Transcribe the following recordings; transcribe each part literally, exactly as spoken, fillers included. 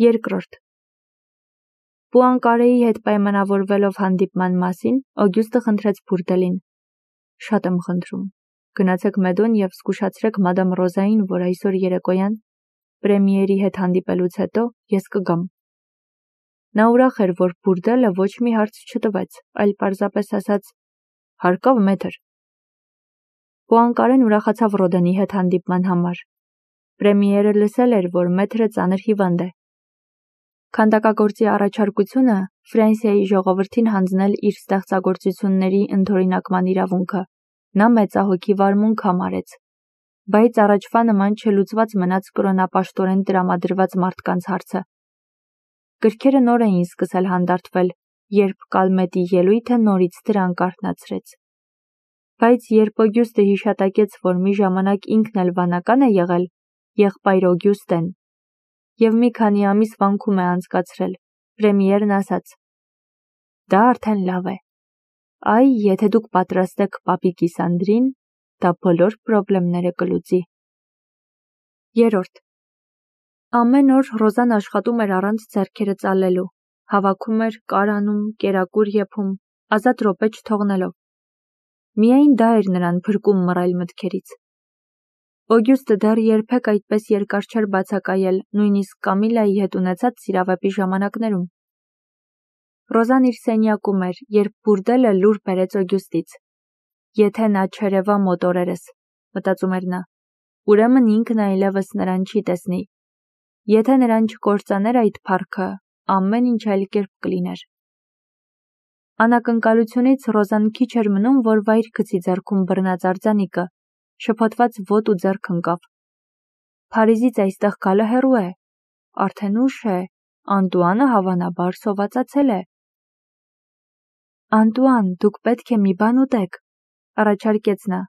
Երկրորդ. Պուանկարեի հետ պայմանավորվելով հանդիպման մասին, Օգյուստը խնդրեց բուրդելին. «Շատ եմ խնդրում, գնացեք Մեդոն և զգուշացրեք մադամ Ռոզային, որ այսօր երեկոյան պրեմիերի հետ հանդիպելուց հետո ես կգամ»։ Նա ուրախ էր, որ բուրդելը ոչ մի հարց չտվեց, այլ պարզապես ասաց. «Հարկավ մեթր»։ Պուանկարեն ուրախացավ Ռոդենի հետ հանդիպման համար։ Պրեմիերը լսել էր, որ մեթրը ծանր հիվանդ է։ Քանդակագործի առաջարկությունը Ֆրանսիայի ժողովրդին հանձնել իր ստեղծագործությունների ընդօրինակման իրավունքը նա մեծահոգի վարմունք համարեց, բայց առաջվա նման չլուծված մնաց կրոնապաշտորեն տրամադրված մարդկանց հարցը։ Գրքերը նոր էին սկսել հանդարտվել, երբ Կալմետի ելույթը նորից դրանք արթնացրեց։ Բայց երբ Օգյուստը հիշատակեց, որ մի ժամանակ ինքն էլ վանական է եղել, եղբայր Օգյուստեն, և մի քանի ամիս վանքում է անցկացրել, պրեմիերն ասաց. «Դա արդեն լավ է։ Այ, եթե դուք պատրաստ եք պապի կիսանդրին, դա բոլոր պրոբլեմները կլուծի»։ Երրորդ. Ամեն օր Ռոզան աշխատում էր առանց ձեռքերը ծալելու, հավաքում էր, կարանում, կերակուր եփում, ազատ րոպե չթողնելով։ Միայն դա էր նրան փրկում մռայլ մտքերից։ Օգյուստը դեռ երբեք այդպես երկար չէր բացակայել նույնիսկ Կամիլայի հետ ունեցած սիրավեպի ժամանակներում։ Ռոզան իր սենյակում էր, երբ բուրդելը լուր բերեց Օգյուստից։ Եթե նա չերևա մոտ օրերս, մտածում էր նա, ուրեմն ինքն այլևս նրան չի տեսնի։ Եթե նրան չկործաներ այդ փառքը, ամեն ինչ այլ կերպ կլիներ։ Անակնկալությունից Ռոզան քիչ էր մնում, որ վայր գցի ձեռքում բռնած արձանիկը, շփոթված ոտու ձեռք ընկավ։ Փարիզից այստեղ գալը հեռու է, արդեն ուշ է, Անտուանը հավանաբար սովածացել է։ «Անտուան, դուք պետք է մի բան ուտեք», առաջարկեց նա։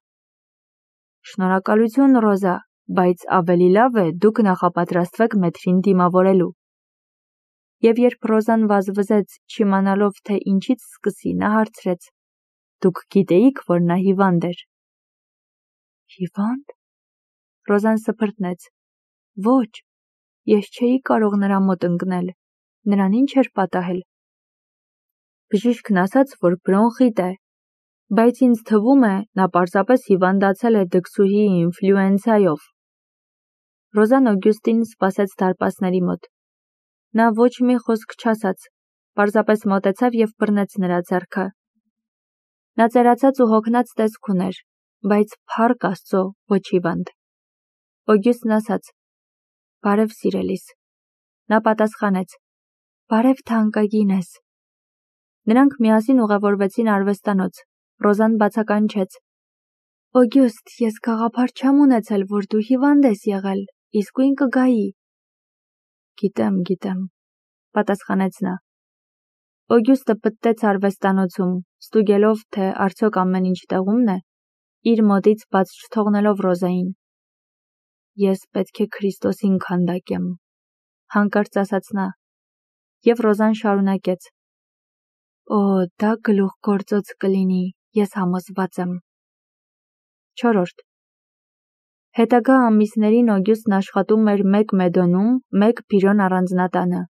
«Շնորհակալություն, Ռոզա, բայց ավելի լավ է դուք նախապատրաստվեք մեթրին դիմավորելու»։ Եվ երբ Ռոզան վազվզեց, չիմանալով, թե ինչից սկսի, նա հարցրեց. «Դուք գիտեիք, որ նա հիվանդ էր»։ «Հիվա՞նդ»։ Ռոզան սփռտնեց։ «Ոչ, ես չէի կարող նրա մոտ ընկնել, նրան ինչ էր պատահել»։ Բժիշկն ասաց, որ բրոնխիտ է, բայց ինձ թվում է, նա պարզապես հիվանդացել է դքսուհի ինֆլյուենցայով։ Ռոզան Օգյուստին սպասեց դարպասների մոտ։ Նա ոչ մի խոսք չասաց, պարզապես մոտեցավ և բռնեց նրա ձեռքը։ Նա ծերացած ու հոգնած տեսք ուներ, բայց փառք Աստծո ոչ հիվանդ։ Օգյուստն ասաց. «Բարև սիրելիս»։ Նա պատասխանեց. «Բարև թանկագինս»։ Նրանք միասին ուղևորվեցին արվեստանոց։ Ռոզան բացականչեց. «Օգյուստ, ես գաղափար չեմ ունեցել, որ դու հիվանդ ես եղել, իսկույն կգայի»։ «Գիտեմ, գիտեմ», պատասխանեց նա։ Օգյուստը պտտեց արվեստանոցում, ստուգելով, թե արդյոք ամեն ինչ տեղումն է, իր մոտից բաց չթողնելով Ռոզային։ «Ես պետք է Քրիստոսին քանդակեմ», հանկարծ ասաց նա, և Ռոզան շարունակեց. «Օ, դա գլուխգործոց կլինի, ես համոզված եմ»։ Չորրորդ. Հետագա ամիսներին Օգյուստն աշխատում էր մեկ Մեդոնում, մեկ Բիրոն առանձնատանը,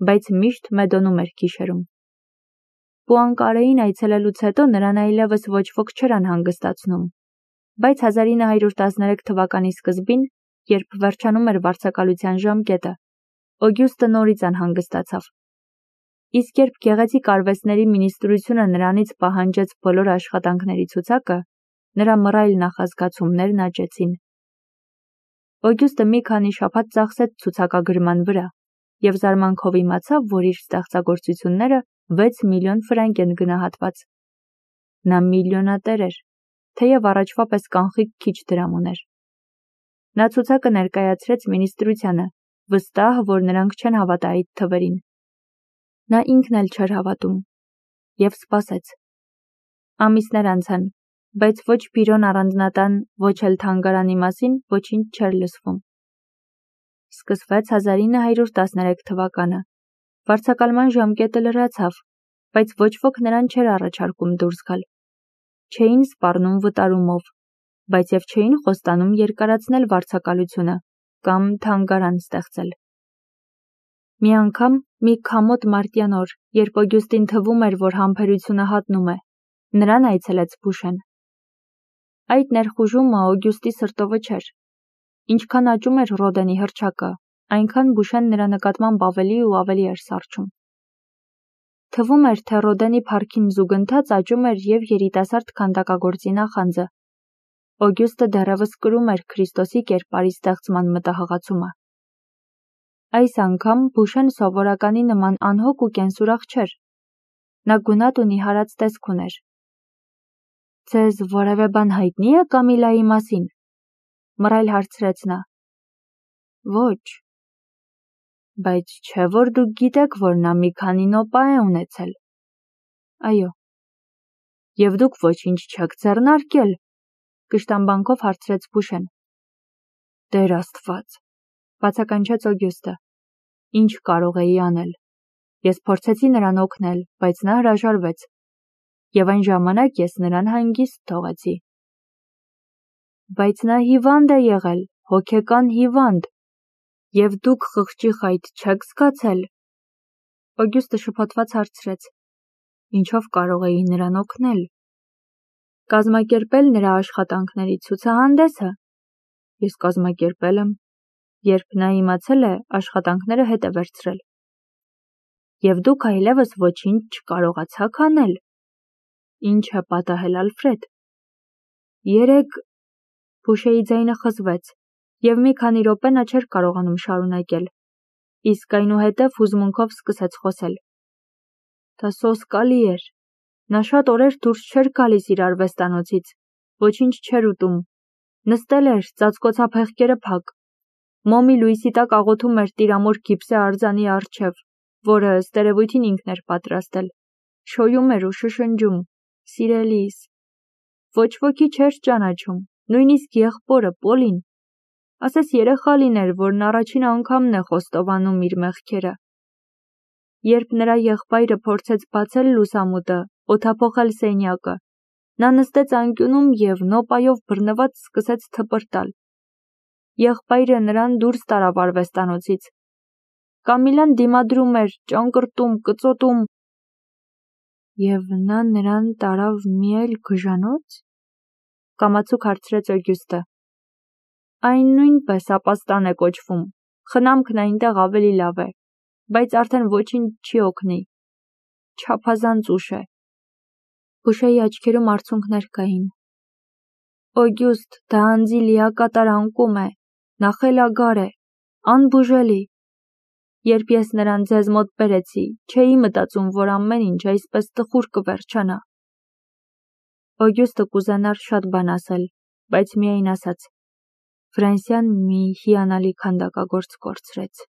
բայց միշտ Մեդոնում էր գիշերում։ Պուանկարեին այցելելուց հետո նրան այլևս ոչ ոք չէր անհանգստացնում, բայց հազար ինը հարյուր տասներեք թվականի սկզբին, երբ վերջանում էր վարձակալության ժամկետը, Օգյուստը նորից անհանգստացավ։ Իսկ երբ գեղեցիկ արվեստների մինիստրությունը նրանից պահանջեց բոլոր աշխատանքների ցուցակը, նրա մռայլ նախազգացումներն աճեցին։ Օգյուստը մի քանի շաբաթ ծախսեց ցուցակագրման վրա և զարմանքով իմացավ, որ իր ստեղծագործությունները վեց միլիոն ֆրանկ են գնահատված։ Նա միլիոնատեր էր, թեև առաջվա պես կանխիկ քիչ դրամ ուներ։ Նա ցուցակը ներկայացրեց մինիստրությանը, վստահ, որ նրանք չեն հավատա այդ թվերին։ Նա ինքն էլ չէր հավատում և սպասեց։ Ամիսներ անցան, բայց ոչ Բիրոն առանձնատան, ոչ էլ թանգարանի մասին ոչինչ չէր լսվում։ Սկսվեց հազար ինը հարյուր տասներեք թվականը։ Վարձակալման ժամկետը լրացավ, բայց ոչ ոք նրան չէր առաջարկում դուրս գալ։ Չէին սպառնում վտարումով, բայց և չէին խոստանում երկարացնել վարձակալությունը կամ թանգարան ստեղծել։ Մի անգամ, մի քամոտ մարտյան օր, երբ Օգյուստին թվում էր, որ համբերությունը հատնում է, նրան այցելեց Բուշեն։ Այդ ներխուժումը Օգյուստի սրտովը չէր։ Ինչքան աճում էր Ռոդենի հռչակը, այնքան Բուշեն նրա նկատմամբ ավելի ու ավելի էր սառչում։ Թվում էր, թե Ռոդենի փառքին զուգընթաց աճում էր և երիտասարդ քանդակագործի նախանձը։ Օգյուստը դեռևս կրում էր Քրիստոսի կերպարի ստեղծման մտահղացումը։ Այս անգամ Բուշեն սովորականի նման անհոգ ու կենսուրախ չէր։ Նա գունատ ու նիհարած տեսք ուներ։ «Ձեզ որևէ բան հայտնի է Կամիլայի մասին», մռայլ հարցրեց նա։ «Ոչ»։ «Բայց չէ՞ որ դուք գիտեք, որ նա մի քանի նոպա է ունեցել»։ «Այո»։ «Եվ դուք ոչինչ չեք ձեռնարկել», կշտամբանքով հարցրեց Բուշեն։ «Տեր Աստված», բացականչեց Օգյուստը։ «Ինչ կարող էի անել։ Ես փորձեցի նրան օգնել, բայց նա հրաժարվեց, և այն ժամանակ ես նրան հանգիստ թողեցի»։ «Բայց նա հիվանդ է եղել, հոգեկան հիվանդ, և դուք խղճի խայտ չեք զգացել»։ Օգյուստը շփոթված հարցրեց. «Ինչով կարող էի նրան օգնել»։ «Կազմակերպել նրա աշխատանքների ցուցահանդեսը»։ «Ես կազմակերպել եմ»։ Երբ նա իմացել է, աշխատանքները հետ է վերցրել։ «Եվ դուք այլևս ոչինչ չկարողացաք անել»։ «Ինչ է պատահել, Ալֆրեդ»։ «Երեկ…» Բուշեի ձայնը խզվեց, և մի քանի րոպե նա չէր կարողանում շարունակել, իսկ այնուհետև հուզմունքով սկսեց խոսել։ Դա սոսկալի էր։ Նա շատ օրեր դուրս չէր գալիս իր արվեստանոցից, ոչինչ չէր ուտում, նստել էր, ծածկոցափեղկերը փակ, մոմի լույսի տակ աղոթում էր տիրամոր գիպսե արձանի առջև, որը ըստ երևույթին ինքն էր պատրաստել, շոյում էր ու շշնջում. «Սիրելիս»։ Ոչ ոքի չէր ճանաչում, նույնիսկ եղբորը Պոլին։ Ասես երեխա լիներ, որն առաջին անգամն է խոստովանում իր մեղքերը։ Երբ նրա եղբայրը փորձեց բացել լուսամուտը, օդափոխել սենյակը, նա նստեց անկյունում և նոպայով բռնված սկսեց թպրտալ։ Եղբայրը նրան դուրս տարավ արվեստանոցից։ Կամիլան դիմադրում էր, ճանկռտում, կծոտում։ «Եվ նա նրան տարավ մի այլ գժանո՞ց», կամացուկ հարցրեց Օգյուստը։ «Այն նույնպես ապաստան է կոչվում, խնամքն այնտեղ ավելի լավ է, բայց արդեն ոչինչ չի օգնի։ Չափազանց ուշ է»։ Բուշեի աչքերում արցունքներ կային։ «Օգյուստ, դա անձի լիակատար անկում է, նա խելագար է, անբուժելի։ Երբ ես նրան ձեզ մոտ բերեցի, չէի մտածում, որ ամեն ինչ այսպես տխուր կվերջանա»։ Օգյուստը կուզենար շատ բան ասել, բայց միայն ասաց. «Ֆրանսիան մի հիանալի քանդակագործ կորցրեց»։